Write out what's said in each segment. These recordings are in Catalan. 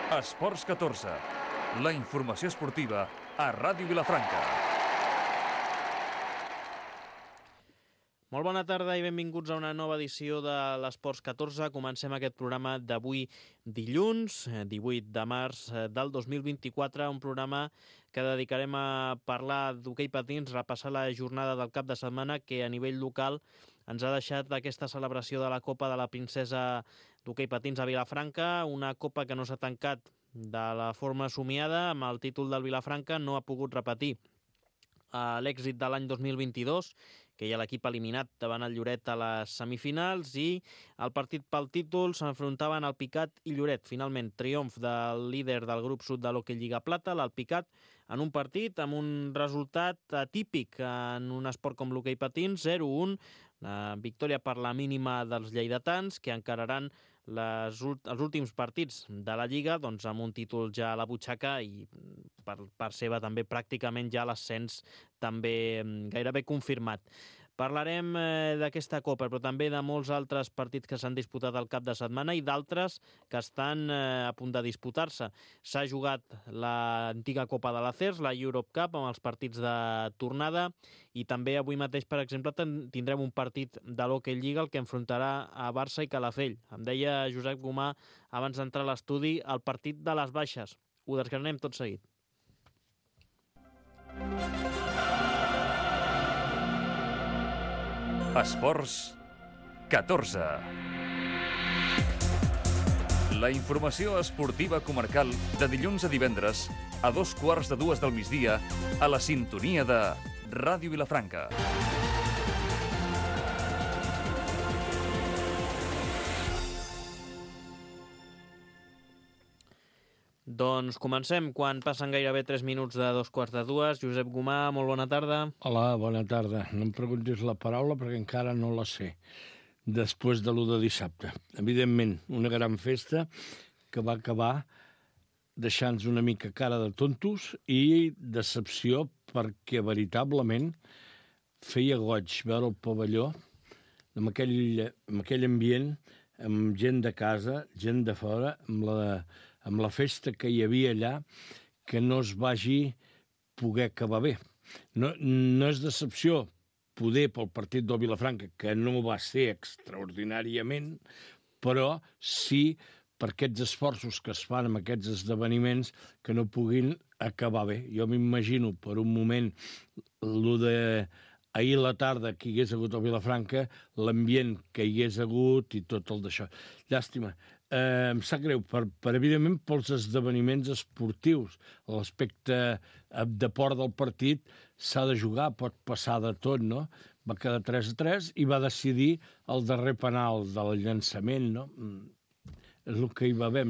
Esports 14, la informació esportiva a Ràdio Vilafranca. Molt bona tarda i benvinguts a una nova edició de l'Esports 14. Comencem aquest programa d'avui dilluns, 18 de març del 2024, un programa que dedicarem a parlar d'hoquei patins, repassar la jornada del cap de setmana que a nivell local ens ha deixat aquesta celebració de la Copa de la Princesa d'hoquei patins a Vilafranca, una copa que no s'ha tancat de la forma somiada, amb el títol del Vilafranca no ha pogut repetir l'èxit de l'any 2022, que hi ha l'equip eliminat davant el Lloret a les semifinals, i el partit pel títol s'enfrontaven el Picat i Lloret. Finalment, triomf del líder del grup sud de l'Hockey Lliga Plata, l'Alpicat, en un partit amb un resultat atípic en un esport com l'hoquei patins, 0-1, victòria per la mínima dels lleidatans, que encararan els últims partits de la Lliga doncs amb un títol ja a la butxaca i per part seva també pràcticament ja l'ascens també gairebé confirmat. Parlarem d'aquesta Copa, però també de molts altres partits que s'han disputat al cap de setmana i d'altres que estan a punt de disputar-se. S'ha jugat l'antiga Copa de l'Acers, la Europe Cup, amb els partits de tornada, i també avui mateix, per exemple, tindrem un partit de l'Hockey Lliga, el que enfrontarà a Barça i Calafell. Em deia Josep Gomà, abans d'entrar a l'estudi, el partit de les baixes. Ho desgranem tot seguit. Esports 14. La informació esportiva comarcal de dilluns a divendres a 2:15 del migdia a la sintonia de Ràdio Vilafranca. Doncs comencem quan passen gairebé 3 minuts de 2:15. Josep Gomà, molt bona tarda. Hola, bona tarda. No em preguntis la paraula perquè encara no la sé. Després de l'1 de dissabte. Evidentment, una gran festa que va acabar deixant-nos una mica cara de tontos i decepció perquè veritablement feia goig veure el pavelló amb aquell ambient, amb gent de casa, gent de fora, amb la festa que hi havia allà, que no es vagi poder acabar bé. No és decepció poder pel partit del Vilafranca, que no va ser extraordinàriament, però sí per aquests esforços que es fan amb aquests esdeveniments que no puguin acabar bé. Jo m'imagino per un moment el de ahir a la tarda que hi hagués hagut a Vilafranca, l'ambient que hi hagués hagut i tot el d'això. Llàstima. Em sap greu, evidentment, pels esdeveniments esportius. L'aspecte de port del partit s'ha de jugar, pot passar de tot, no? Va quedar 3-3 i va decidir el darrer penal del llançament, no? És el que hi va haver.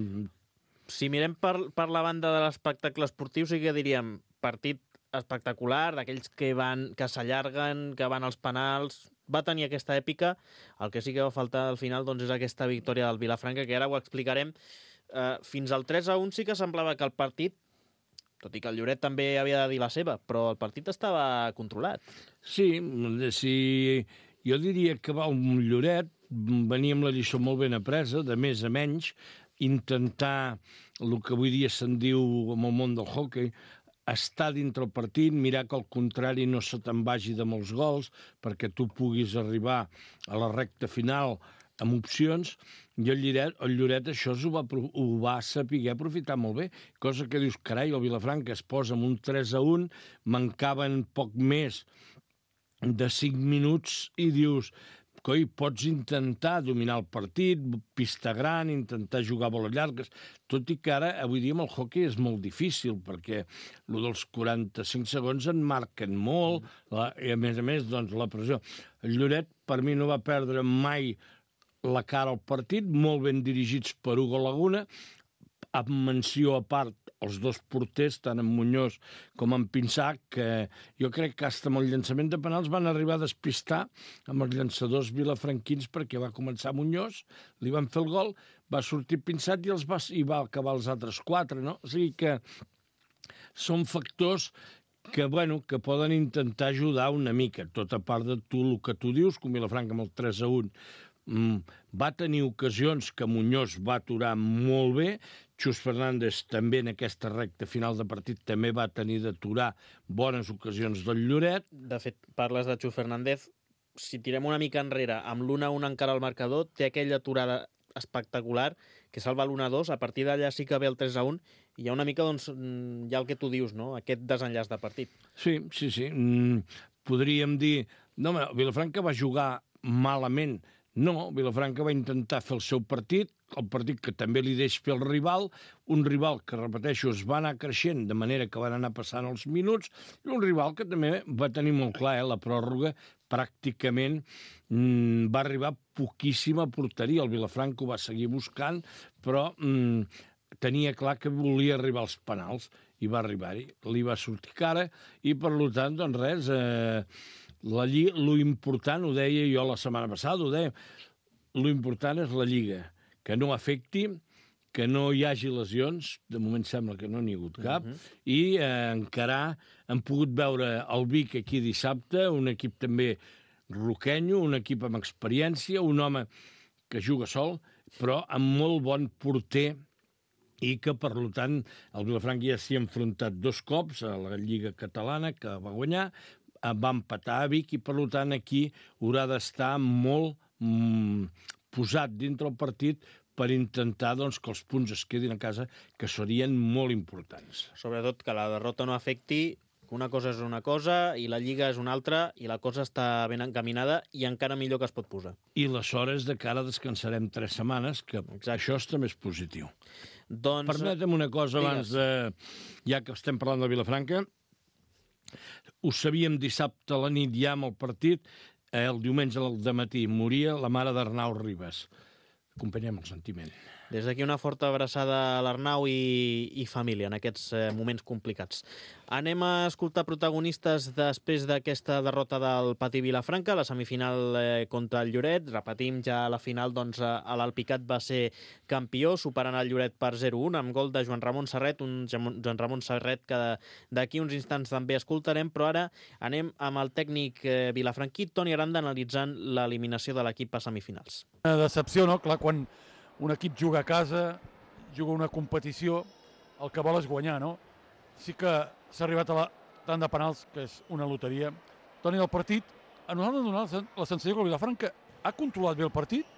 Si mirem per la banda de l'espectacle esportiu, sí que diríem partit espectacular, d'aquells que s'allarguen, que van als penals. Va tenir aquesta èpica. El que sí que va faltar al final doncs, és aquesta victòria del Vilafranca, que ara ho explicarem. Fins al 3-1 sí que semblava que el partit, tot i que el Lloret també havia de dir la seva, però el partit estava controlat. Sí, jo diria que un Lloret venia amb la lliçó molt ben apresa, de més a menys, intentar el que avui dia se'n diu en el món del hoquei, estar dintre el partit, mirar que al contrari no se te'n vagi de molts gols perquè tu puguis arribar a la recta final amb opcions, i el Lloret això ho va saber aprofitar molt bé, cosa que dius, carai, el Vilafranca es posa amb un 3-1, mancaven poc més de 5 minuts i dius, coi, pots intentar dominar el partit, pista gran, intentar jugar boles llargues, tot i que ara, avui dia, amb el hoquei és molt difícil, perquè el dels 45 segons en marquen molt, i a més, doncs, la pressió. El Lloret, per mi, no va perdre mai la cara al partit, molt ben dirigits per Hugo Laguna, amb menció a part els dos porters, tant en Muñoz com en Pinsà, que jo crec que fins amb el llançament de penals van arribar a despistar amb els llançadors vilafranquins perquè va començar Muñoz, li van fer el gol, va sortir Pinsà i va acabar els altres 4, no? O sigui que són factors que poden intentar ajudar una mica, tot a part de tu, el que tu dius, com Vilafranca amb el 3-1, Va tenir ocasions que Muñoz va aturar molt bé, Xus Fernández també en aquesta recta final de partit també va tenir d'aturar bones ocasions del Lloret. De fet, parles de Xus Fernández, si tirem una mica enrere, amb l'1-1 encara al marcador, té aquella aturada espectacular que salva l'1-2, a partir d'allà sí que ve el 3-1 i hi ha una mica, doncs, ja el que tu dius, no? Aquest desenllaç de partit. Sí. Podríem dir... No, home, Vilafranca va jugar malament. No, Vilafranca va intentar fer el seu partit, el partit que també li deix fer el rival, un rival que, repeteixo, es va anar creixent de manera que van anar passant els minuts, i un rival que també va tenir molt clar, la pròrroga pràcticament va arribar poquíssima porteria. El Vilafranca ho va seguir buscant, però tenia clar que volia arribar als penals, i va arribar-hi. Li va sortir cara, i per tant, doncs res... lo important, ho deia jo la setmana passada, lo important és la Lliga, que no afecti, que no hi hagi lesions, de moment sembla que no n'hi ha hagut cap, i encarar, hem pogut veure el Vic aquí dissabte, un equip també roquenyo, un equip amb experiència, un home que juga sol, però amb molt bon porter, i que, per tant, el Vilafranca ja s'hi ha enfrontat 2 cops a la Lliga Catalana, que va guanyar, va empatar a Vic, i per tant aquí haurà d'estar molt posat dintre el partit per intentar doncs, que els punts es quedin a casa, que serien molt importants. Sobretot que la derrota no afecti, que una cosa és una cosa i la Lliga és una altra, i la cosa està ben encaminada i encara millor que es pot posar. I aleshores de cara descansarem 3 setmanes, que això també és positiu. Doncs... Permetem una cosa abans de... Ja que estem parlant de Vilafranca, ho sabíem dissabte a la nit ja amb el partit, el diumenge al dematí moria la mare d'Arnau Ribas. Acompanyem el sentiment. Des d'aquí una forta abraçada a l'Arnau i família en aquests moments complicats. Anem a escoltar protagonistes després d'aquesta derrota del Patí Vilafranca, la semifinal contra el Lloret. Repetim, ja a la final doncs, l'Alpicat va ser campió, superant el Lloret per 0-1, amb gol de Joan Ramon Serret, un Joan Ramon Serret que d'aquí uns instants també escoltarem, però ara anem amb el tècnic vilafranquí, Toni Aranda, analitzant l'eliminació de l'equip a semifinals. Una decepció, no? Clar, quan un equip juga a casa, juga una competició, el que vol és guanyar, no? Sí que s'ha arribat a la tanda de penals, que és una loteria. Toni, el partit, a nosaltres ens ha donat la sensació que el Vilafranca ha controlat bé el partit,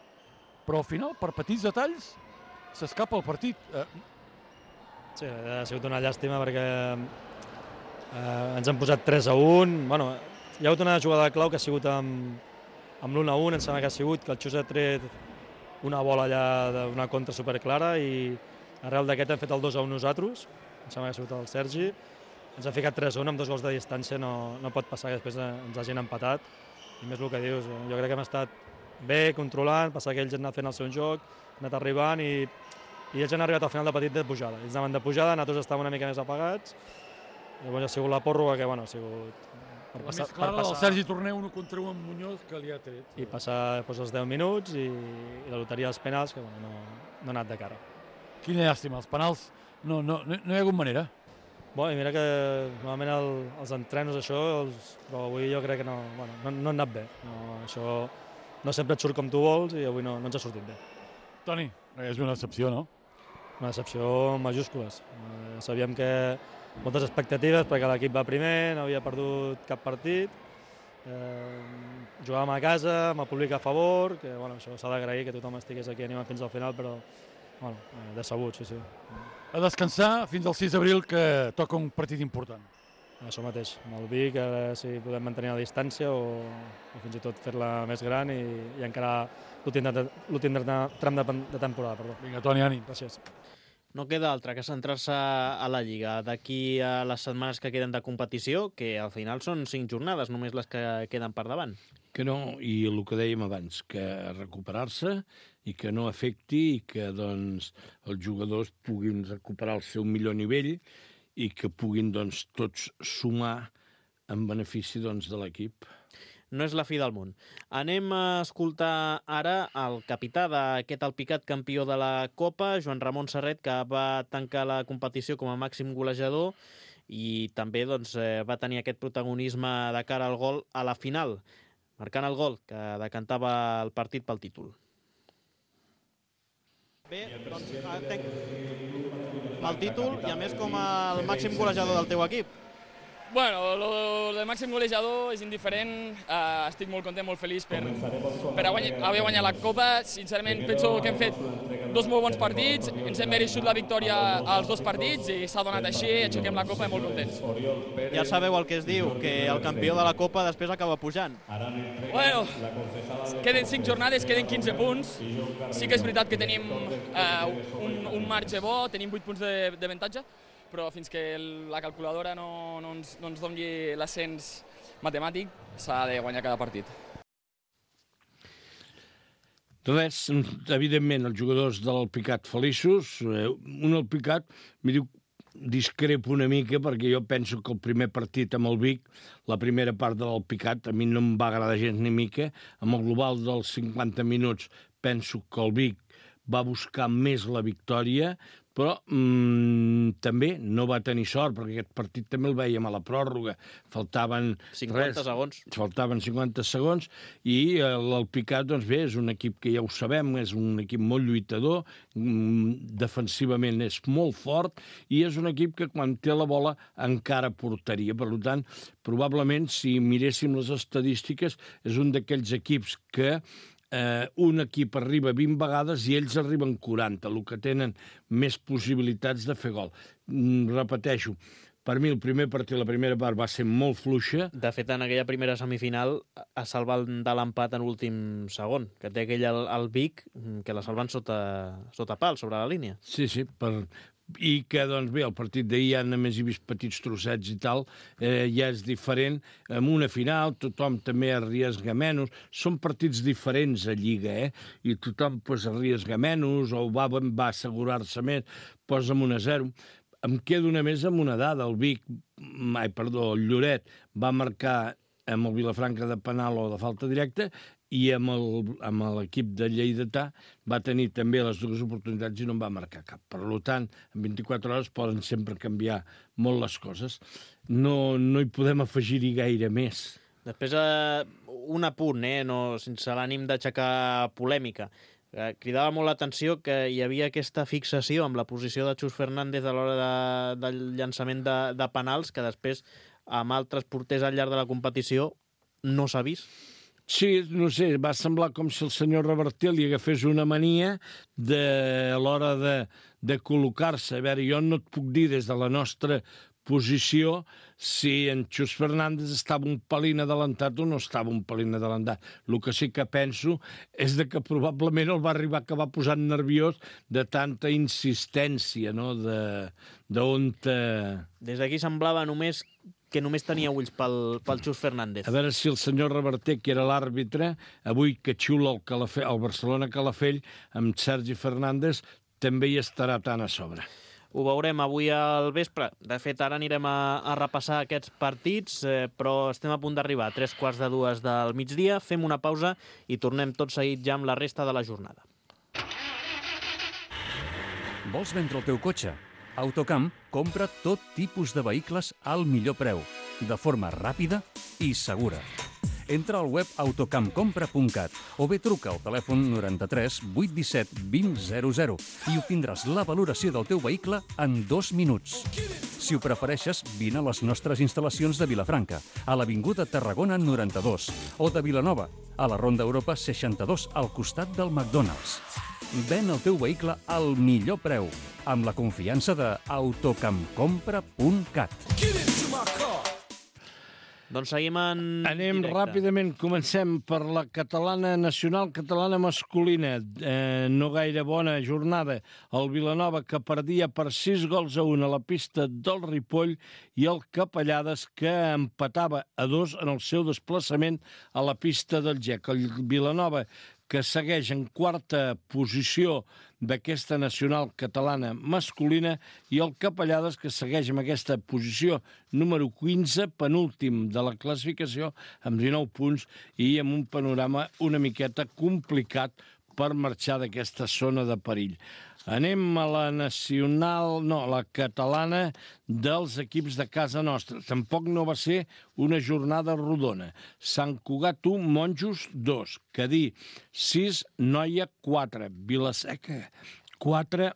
però al final, per petits detalls, s'escapa el partit. Sí, ha sigut una llàstima perquè ens han posat 3-1. Bueno, hi ha hagut una jugada clau que ha sigut amb l'1-1, em sembla que ha sigut que el Xus ha tret una bola allà d'una contra superclara i arrel d'aquest hem fet el 2-1 nosaltres, em sembla que ha sigut el Sergi, ens ha ficat 3-1 amb 2 gols de distància, no pot passar que després ens hagin empatat, i més el que dius, jo crec que hem estat bé, controlant, passar que ells han anat fent el seu joc, han anat arribant i ells han arribat al final de partit de pujada, ells anaven de pujada, nosaltres estàvem una mica més apagats, i llavors ha sigut la pròrroga que, bueno, ha sigut... La més clara del Sergi Torner, 1 contra 1 amb Muñoz, que li ha tret. I passar els 10 minuts i la loteria dels penals, que bueno, no ha anat de cara. Quina llàstima, els penals no hi ha hagut manera. Bueno, i mira que normalment els entrenos això, però avui jo crec que no han anat bé. Això no sempre et surt com tu vols i avui no ens ha sortit bé. Toni, és una decepció, no? Una decepció en majúscules. Sabíem que moltes expectatives perquè l'equip va primer, no havia perdut cap partit, jugàvem a casa, amb el públic a favor, que bueno, això s'ha d'agrair que tothom estigués aquí animant fins al final, però bueno, decebut, sí. A descansar fins al 6 d'abril, que toca un partit important. Això mateix, amb el Vic, a veure si podem mantenir la distància o fins i tot fer-la més gran i encarar l'últim tram de temporada. Perdó. Vinga, Toni, ànim. Gràcies. No queda altra que centrar-se a la Lliga. D'aquí a les setmanes que queden de competició, que al final són 5 jornades, només les que queden per davant. Que no, i el que dèiem abans, que recuperar-se i que no afecti i que doncs, els jugadors puguin recuperar el seu millor nivell i que puguin doncs, tots sumar en benefici doncs, de l'equip. No és la fi del món. Anem a escoltar ara el capità d'aquest Alpicat campió de la Copa, Joan Ramon Serret, que va tancar la competició com a màxim golejador i també doncs, va tenir aquest protagonisme de cara al gol a la final. marcant el gol que decantava el partit pel títol. Bé, doncs tenc el títol i a més com el màxim golejador del teu equip. Bueno, el màxim golejador és indiferent, estic molt content, molt feliç per haver guanyat la Copa. Sincerament, penso que hem fet dos molt bons partits, ens hem mereixut la victòria als dos partits i s'ha donat així, aixequem la Copa i molt contents. Ja sabeu el que es diu, que el campió de la Copa després acaba pujant. Bueno, queden 5 jornades, queden 15 punts. Sí que és veritat que tenim un marge bo, tenim 8 punts d'avantatge, però fins que la calculadora no ens doni l'ascens matemàtic, s'ha de guanyar cada partit. Res, evidentment, els jugadors de l'Alpicat feliços. Un Alpicat, m'hi diu, discrepo una mica, perquè jo penso que el primer partit amb el Vic, la primera part de l'Alpicat, a mi no em va agradar gens ni mica. Amb el global dels 50 minuts penso que el Vic va buscar més la victòria, però també no va tenir sort, perquè aquest partit també el veiem a la pròrroga. Faltaven 50 segons. Faltaven 50 segons i l'Alpicat, doncs bé, és un equip que ja ho sabem, és un equip molt lluitador, defensivament és molt fort i és un equip que quan té la bola encara portaria. Per tant, probablement, si miréssim les estadístiques, és un d'aquells equips que un equip arriba 20 vegades i ells arriben 40, el que tenen més possibilitats de fer gol. Repeteixo, per mi el primer partit, la primera part, va ser molt fluixa. De fet, en aquella primera semifinal es salva de l'empat en l'últim segon, que té aquell el Vic, que la salven sota pal, sobre la línia. Sí, i que, doncs bé, el partit d'ahir ja només he vist petits trossets i tal, ja és diferent. En una final tothom també arriesga menys. Són partits diferents a Lliga, i tothom arriesga menys o va assegurar-se més, posa amb 1-0. Em quedo només amb una dada. El Lloret va marcar amb el Vilafranca de penal o de falta directa i amb l'equip de Lleidatà va tenir també les dues oportunitats i no en va marcar cap. Per tant, en 24 hores poden sempre canviar molt les coses. No hi podem afegir-hi gaire més. Després, un apunt, sense l'ànim d'aixecar polèmica. Cridava molt l'atenció que hi havia aquesta fixació amb la posició de Xus Fernández a l'hora del llançament de penals, que després, amb altres porters al llarg de la competició, no s'ha vist. Sí, no sé, va semblar com si el senyor Reverter li agafés una mania a l'hora de col·locar-se. A veure, jo no et puc dir des de la nostra posició si en Xus Fernández estava un pelín adelantat o no estava un pelín adelantat. El que sí que penso és que probablement el va arribar a acabar posant nerviós de tanta insistència, no? Des d'aquí semblava que només tenia ulls pel Xus Fernández. A veure si el senyor Reverter, que era l'àrbitre, avui que xiula el Barcelona Calafell, amb Sergi Fernández, també hi estarà tan a sobre. Ho veurem avui al vespre. De fet, ara anirem a repassar aquests partits, però estem a punt d'arribar a 3:45 del migdia. Fem una pausa i tornem tot seguit ja amb la resta de la jornada. Vols vendre el teu cotxe? Autocamp compra tot tipus de vehicles al millor preu, de forma ràpida i segura. Entra al web autocampcompra.cat o bé truca al telèfon 93 817 2000 i obtindràs la valoració del teu vehicle en 2 minuts. Si ho prefereixes, vine a les nostres instal·lacions de Vilafranca, a l'Avinguda Tarragona 92, o de Vilanova, a la Ronda Europa 62, al costat del McDonald's. Ven el teu vehicle al millor preu, amb la confiança de autocampcompra.cat. Doncs seguim en Anem directe. ràpidament, comencem per la catalana nacional, catalana masculina. No gaire bona jornada. El Vilanova, que perdia per 6-1 a la pista del Ripoll, i el Capellades, que empatava a 2 en el seu desplaçament a la pista del GEC. El Vilanova, que segueix en quarta posició d'aquesta nacional catalana masculina, i el Capellades, que segueix amb aquesta posició número 15, penúltim de la classificació, amb 19 punts i amb un panorama una miqueta complicat per marxar d'aquesta zona de perill. Anem a la la catalana dels equips de casa nostra. Tampoc no va ser una jornada rodona. Sant Cugat 1, Monjos 2, Cadí 6, Noia 4, Vila-seca 4,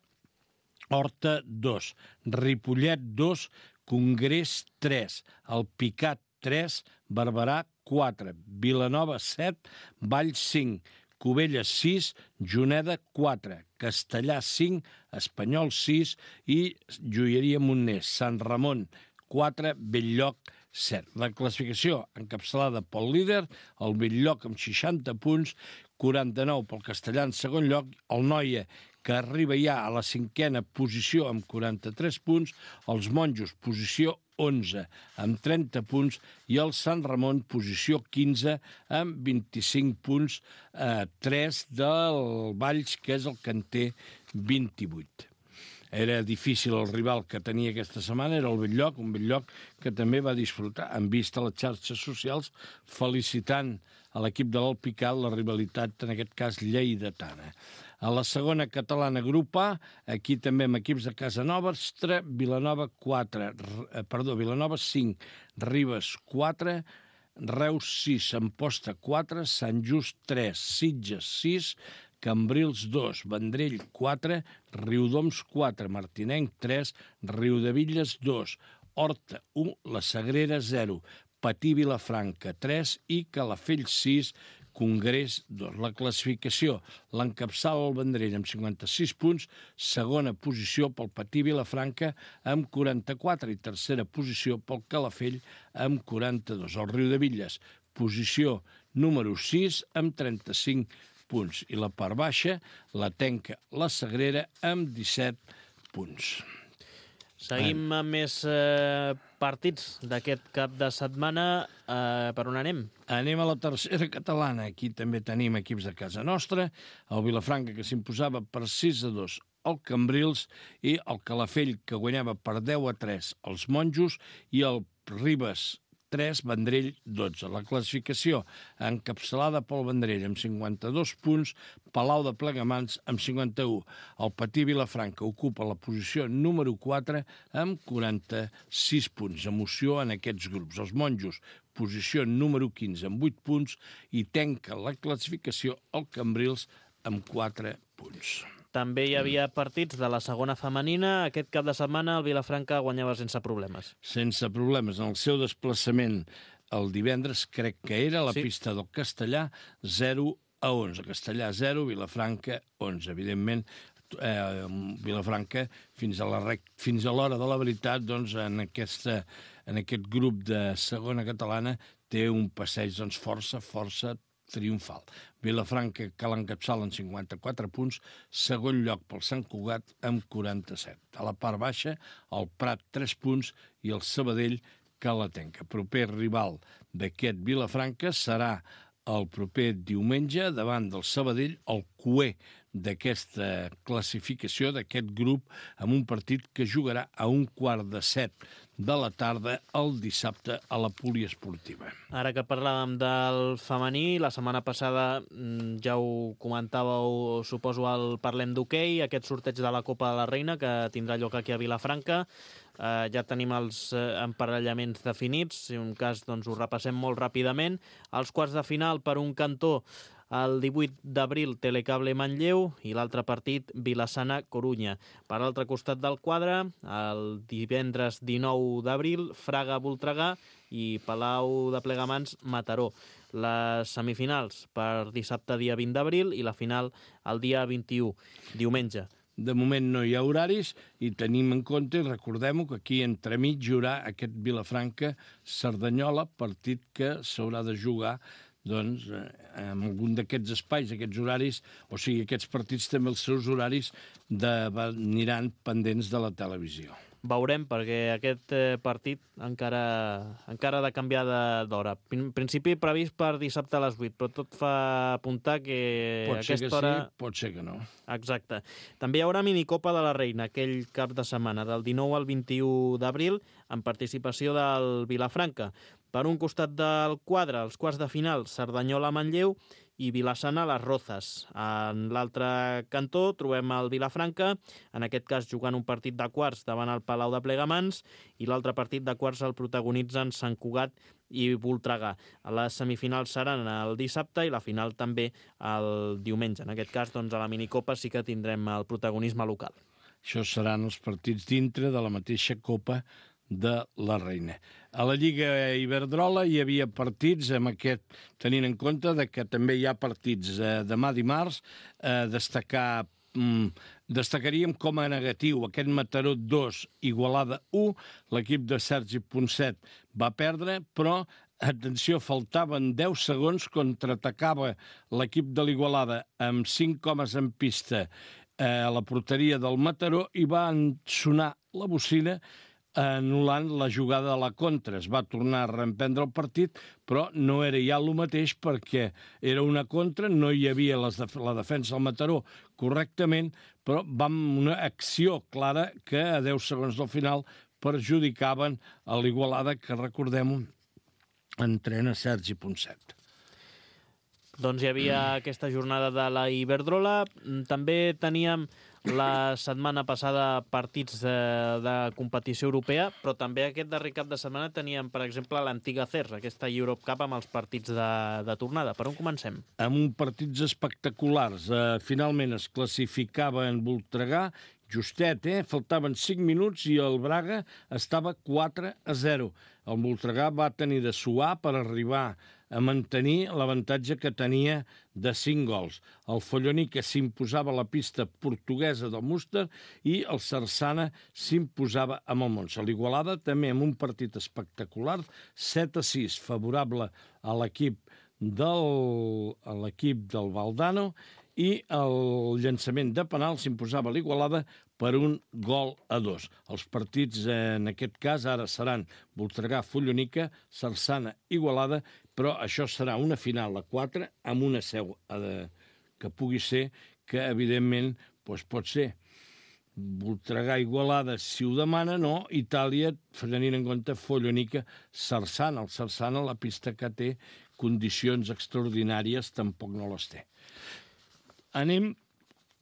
Horta 2, Ripollet 2, Congrés 3, Alpicat 3, Barberà 4, Vilanova 7, Valls 5, Cubelles 6, Juneda 4, Castellà 5, Espanyol 6 i Joieria Montners, Sant Ramon 4, Bell-lloc 7. La classificació encapçalada pel líder, el Bell-lloc amb 60 punts, 49 pel Castellà en segon lloc, el Noia, que arriba ja a la 5a posició amb 43 punts, els Monjos, posició 11 amb 30 punts i el Sant Ramon, posició 15 amb 25 punts, 3 del Valls, que és el que en té 28. Era difícil el rival que tenia aquesta setmana, era el Bell-lloc, un Bell-lloc que també va disfrutar, en vista les xarxes socials, felicitant a l'equip de l'Alpicat la rivalitat, en aquest cas, lleidatana. A la segona catalana grup A, aquí també amb equips de casa nostra, Vilanova 5, Ribes 4, Reus 6, Amposta 4, Sant Just 3, Sitges 6, Cambrils 2, Vendrell 4, Riudoms 4, Martinenc 3, Riudevilles 2, Horta 1, La Sagrera 0, Patí Vilafranca 3 i Calafell 6, Congrés 2. La classificació l'encapçala el Vendrell amb 56 punts, segona posició pel Patí Vilafranca amb 44 i tercera posició pel Calafell amb 42. El Riudevilles, posició número 6 amb 35 punts. I la part baixa la tenca la Sagrera amb 17 punts. Seguim amb més partits d'aquest cap de setmana. Per on anem? Anem a la tercera catalana. Aquí també tenim equips de casa nostra. El Vilafranca, que s'imposava per 6-2 al Cambrils, i el Calafell, que guanyava per 10-3 als Monjos, i el Ribes 3, Vendrell 12. La classificació encapçalada pel Vendrell amb 52 punts, Palau de Plegamans amb 51. El Patí Vilafranca ocupa la posició número 4 amb 46 punts. Emoció en aquests grups. Els Monjos, posició número 15 amb 8 punts, i tanca la classificació el Cambrils amb 4 punts. També hi havia partits de la segona femenina. Aquest cap de setmana el Vilafranca guanyava sense problemes. Sense problemes. En el seu desplaçament el divendres, crec que era, a la pista del Castellà, 0-11. Castellà 0, Vilafranca 11. Evidentment, Vilafranca, fins a l'hora de la veritat, doncs, en aquest grup de segona catalana, té un passeig força triomfal. Vilafranca, que l'encapçala en 54 punts, segon lloc pel Sant Cugat amb 47. A la part baixa, el Prat 3 punts i el Sabadell, que la tenca. Proper rival d'aquest Vilafranca serà el proper diumenge davant del Sabadell, el cuer d'aquesta classificació, d'aquest grup, amb un partit que jugarà a 6:15 de la tarda el dissabte a la Poliesportiva. Ara que parlàvem del femení, la setmana passada ja ho comentàveu, suposo, al Parlem d'Hoquei, aquest sorteig de la Copa de la Reina que tindrà lloc aquí a Vilafranca. Ja tenim els emparellaments definits, si un cas doncs, ho repassem molt ràpidament. Els quarts de final, per un cantó, el 18 d'abril, Telecable Manlleu, i l'altre partit, Vilassana-Corunya. Per l'altre costat del quadre, el divendres 19 d'abril, Fraga-Voltregà i Palau de Plegamans, Mataró. Les semifinals per dissabte, dia 20 d'abril, i la final el dia 21, diumenge. De moment no hi ha horaris i tenim en compte, i recordem-ho, que aquí entremig hi haurà aquest Vilafranca-Cerdanyola, partit que s'haurà de jugar doncs, en algun d'aquests espais, aquests horaris, o sigui, aquests partits també els seus horaris aniran pendents de la televisió. Veurem, perquè aquest partit encara ha de canviar d'hora. En principi previst per dissabte a les 8, però tot fa apuntar que aquesta hora... Pot ser que no. Exacte. També hi haurà minicopa de la Reina aquell cap de setmana, del 19 al 21 d'abril, amb participació del Vilafranca. Per un costat del quadre, els quarts de final, Cerdanyola-Manlleu, i Vilassana les Rozas. En l'altre cantó trobem el Vilafranca, en aquest cas jugant un partit de quarts davant el Palau de Plegamans, i l'altre partit de quarts el protagonitzen Sant Cugat i Voltregà. Les semifinals seran el dissabte i la final també el diumenge. En aquest cas, doncs, a la minicopa sí que tindrem el protagonisme local. Això seran els partits dintre de la mateixa Copa de la Reina. A la Lliga Iberdrola hi havia partits, amb aquest, tenint en compte que també hi ha partits demà dimarts, destacaríem com a negatiu aquest Mataró 2, Igualada 1, l'equip de Sergi Ponset va perdre, però atenció, faltaven 10 segons, contraatacava l'equip de l'Igualada amb 5 homes en pista a la porteria del Mataró i va sonar la bocina anul·lant la jugada de la contra. Es va tornar a reemprendre el partit, però no era ja el mateix perquè era una contra, no hi havia la defensa del Mataró correctament, però vam una acció clara que a 10 segons del final perjudicaven a l'Igualada, que recordem-ho, entrena Sergi Ponset. Doncs hi havia aquesta jornada de la Iberdrola. També teníem la setmana passada partits de competició europea, però també aquest darrer cap de setmana teníem, per exemple, l'antiga CERS, aquesta Europe Cup amb els partits de tornada. Per on comencem? Amb partits espectaculars. Finalment es classificava en Voltregà, justet, faltaven 5 minuts i el Braga estava 4-0. El Voltregà va tenir de suar per arribar a mantenir l'avantatge que tenia de 5 gols. El Folloni, que s'imposava a la pista portuguesa del Múster, i el Sarsana s'imposava amb el Monza. L'Igualada també amb un partit espectacular, 7-6, favorable a l'equip del Valdano, i el llançament de penal s'imposava a l'Igualada per 1-2. Els partits, en aquest cas, ara seran Voltregà-Follonica, Sarsana-Igualada, però això serà una final a 4 amb una seu que pugui ser, que evidentment pot ser Voltregà-Igualada si ho demana, no, Itàlia, tenint en compte Follonica-Sarsana. El Sarsana, la pista que té condicions extraordinàries, tampoc no les té. Anem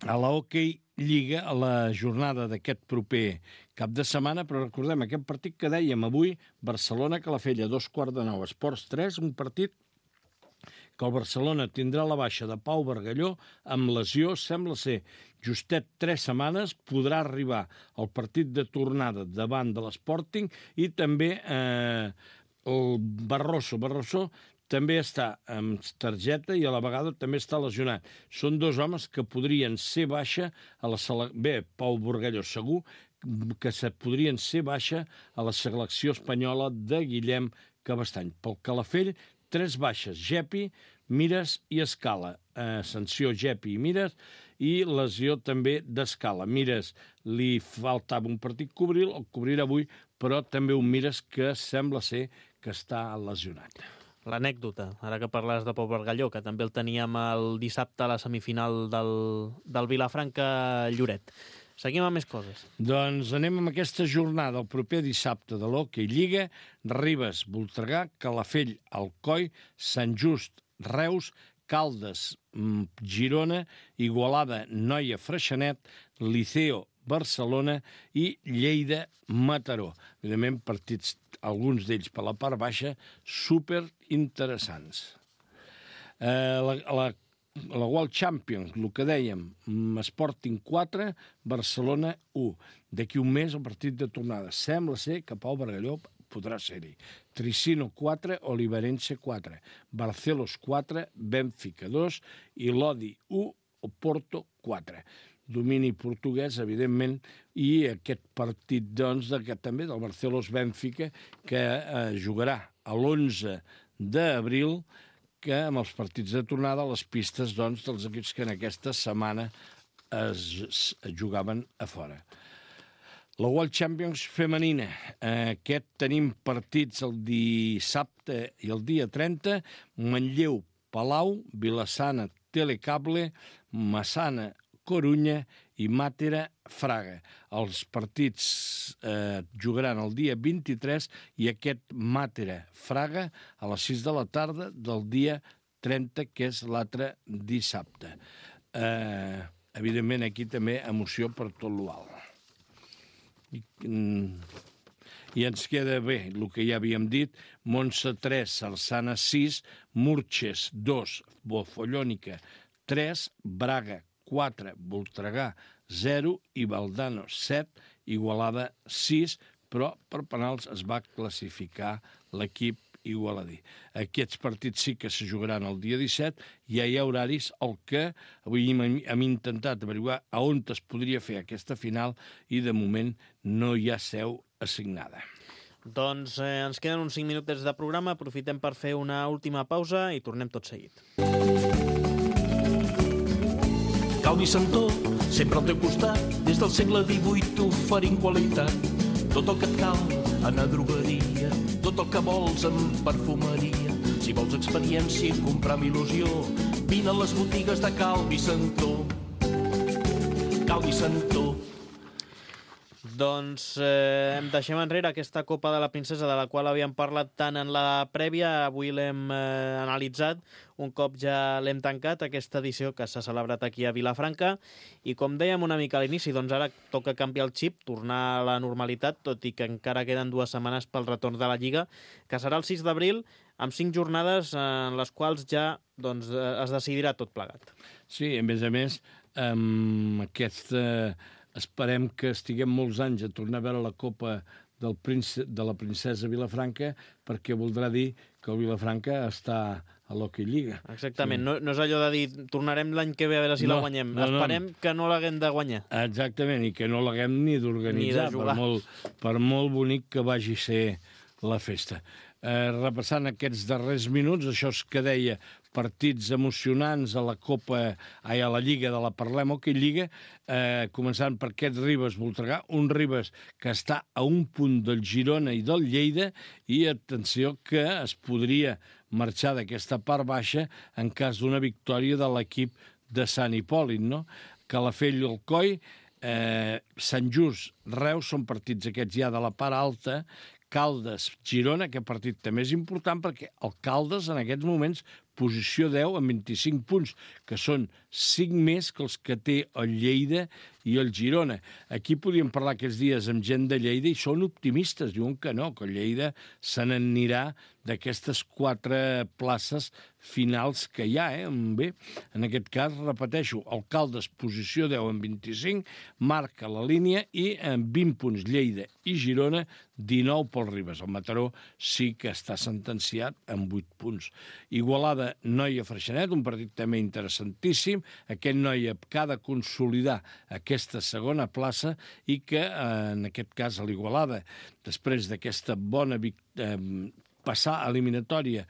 a la Hockey Lliga, a la jornada d'aquest proper cap de setmana, però recordem aquest partit que dèiem avui, Barcelona-Calafell, a 8:45, Esports 3, un partit que el Barcelona tindrà la baixa de Pau Bargalló amb lesió, sembla ser justet 3 setmanes, podrà arribar al partit de tornada davant de l'Sporting, i també el Barroso també està amb targeta i a la vegada també està lesionat. Són 2 homes que podrien ser baixa a la selecció. Bé, Pau Bargalló segur que podrien ser baixa a la selecció espanyola de Guillem Cabestany. Pel Calafell, 3 baixes, Gepi, Mires i Escala. Sanció Gepi i Mires, i lesió també d'Escala. Mires li faltava un partit cobrir, el cobrirà avui, però també un Mires que sembla ser que està lesionat. L'anècdota, ara que parles de Pau Bargalló, que també el teníem el dissabte a la semifinal del Vilafranca-Lloret. Seguim amb més coses. Doncs anem amb aquesta jornada, el proper dissabte de l'Hockey Lliga, Ribes, Voltregà, Calafell, Alcoi, Sant Just, Reus, Caldes, Girona, Igualada, Noia, Freixenet, Liceo, Barcelona i Lleida, Mataró. Evidentment, partits, alguns d'ells per la part baixa, super interessants. La World Champions, el que dèiem, Sporting 4, Barcelona 1. D'aquí un mes el partit de tornada. Sembla ser que Pau Bargalló podrà ser-hi. Tricino 4, Oliverense 4, Barcelos 4, Benfica 2 i Lodi 1, Oporto 4. Domini portuguès, evidentment, i aquest partit, doncs, també del Barcelos-Benfica, que jugarà a l'11 d'abril, que amb els partits de tornada, les pistes, doncs, dels equips que en aquesta setmana es jugaven a fora. La World Champions femenina. Aquest tenim partits el dissabte i el dia 30, Manlleu, Palau, Vilassana, Telecable, Massana, Corunya i Màtera, Fraga. Els partits jugaran el dia 23 i aquest Màtera, Fraga a les 6 de la tarda del dia 30, que és l'altre dissabte. Evidentment, aquí també emoció per tot l'UAL. I ens queda bé el que ja havíem dit: Montse 3, Sarsana 6, Murches 2, Bofollònica 3, Braga 4, Voltregà 0 i Valdano 7, Igualada 6, però per penals es va classificar l'equip igualadí. Aquests partits sí que se jugaran el dia 17, ja hi ha horaris, el que avui hem intentat averiguar a on es podria fer aquesta final i de moment no hi ha seu assignada. Doncs ens queden uns 5 minutets de programa, aprofitem per fer una última pausa i tornem tot seguit. Calvi Santó, sempre al teu costat, des del segle XVIII oferint qualitat. Tot el que et cal en a drogueria, tot el que vols en perfumeria. Si vols experiència i comprar amb il·lusió, vine a les botigues de Calvi Santó. Calvi Santó. Doncs deixem enrere aquesta Copa de la Princesa de la qual havíem parlat tant en la prèvia. Avui l'hem analitzat, un cop ja l'hem tancat, aquesta edició que s'ha celebrat aquí a Vilafranca. I com dèiem una mica a l'inici, doncs ara toca canviar el xip, tornar a la normalitat, tot i que encara queden 2 setmanes pel retorn de la Lliga, que serà el 6 d'abril, amb 5 jornades en les quals ja es decidirà tot plegat. Sí, a més, esperem que estiguem molts anys a tornar a veure la Copa de la Princesa Vilafranca, perquè voldrà dir que el Vilafranca està a l'Hockey Lliga. Exactament, sí. No és allò de dir tornarem l'any que ve a veure si la guanyem. Esperem que no l'haguem de guanyar. Exactament, i que no l'haguem ni d'organitzar, per molt bonic que vagi a ser la festa. Repassant aquests darrers minuts, això que deia, partits emocionants a la Lliga de la Parlem Hockey Lliga, començant per aquest Ribes-Voltregà, un Ribes que està a un punt del Girona i del Lleida, i atenció que es podria marxar d'aquesta part baixa en cas d'una victòria de l'equip de Sant Hipòlit, no? Calafell i Alcoi, Sant Just, Reus, són partits aquests ja de la part alta. Caldes, Girona, aquest partit també és important perquè el Caldes en aquests moments posició 10 amb 25 punts, que són 5 més que els que té el Lleida i el Girona. Aquí podríem parlar aquests dies amb gent de Lleida i són optimistes, diuen que no, que el Lleida se n'anirà d'aquestes 4 places finals que hi ha. Bé, en aquest cas, repeteixo, el Caldes, posició 10 amb 25, marca la línia i amb 20 punts Lleida i Girona, 19 pel Ribes. El Mataró sí que està sentenciat amb 8 punts. Igualada, Noia Freixenet, un partit també interessantíssim. Aquest Noia que ha de consolidar aquesta segona plaça i que, en aquest cas, a l'Igualada, després d'aquesta bona passar eliminatòria,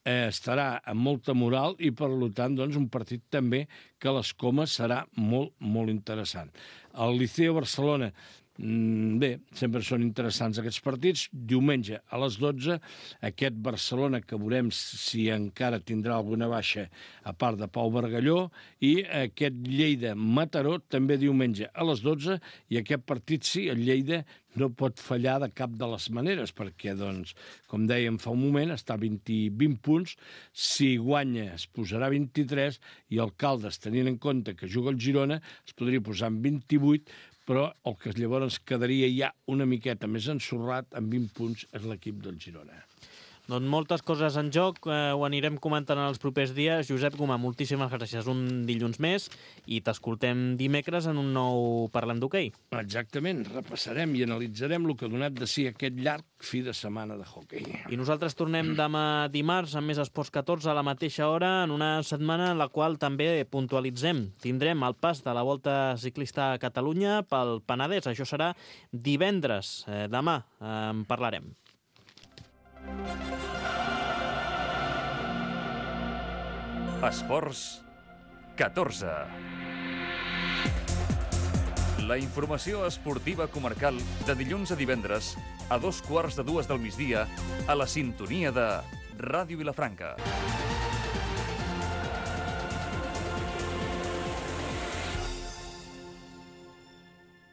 estarà amb molta moral i, per tant, un partit també que a les comes serà molt, molt interessant. El Liceo Barcelona, bé, sempre són interessants aquests partits. Diumenge a les 12, aquest Barcelona, que veurem si encara tindrà alguna baixa a part de Pau Bargalló, i aquest Lleida-Mataró també diumenge a les 12, i aquest partit sí, el Lleida no pot fallar de cap de les maneres, perquè, com dèiem fa un moment, està a 20 punts, si guanya es posarà 23, i el Caldes, tenint en compte que juga el Girona, es podria posar en 28, però el que llavors quedaria ja una miqueta més ensorrat, amb 20 punts, és l'equip del Girona. Doncs moltes coses en joc, ho anirem comentant en els propers dies. Josep Gomà, moltíssimes gràcies. Un dilluns més i t'escoltem dimecres en un nou Parlem d'Hoquei. Exactament, repassarem i analitzarem el que ha donat de si aquest llarg fi de setmana de hoquei. I nosaltres tornem demà dimarts amb més Esports 14 a la mateixa hora, en una setmana en la qual també puntualitzem. Tindrem el pas de la Volta Ciclista a Catalunya pel Penedès. Això serà divendres. Demà en parlarem. Esports 14. La informació esportiva comarcal de dilluns a divendres a 2:15 del migdia a la sintonia de Ràdio Vilafranca.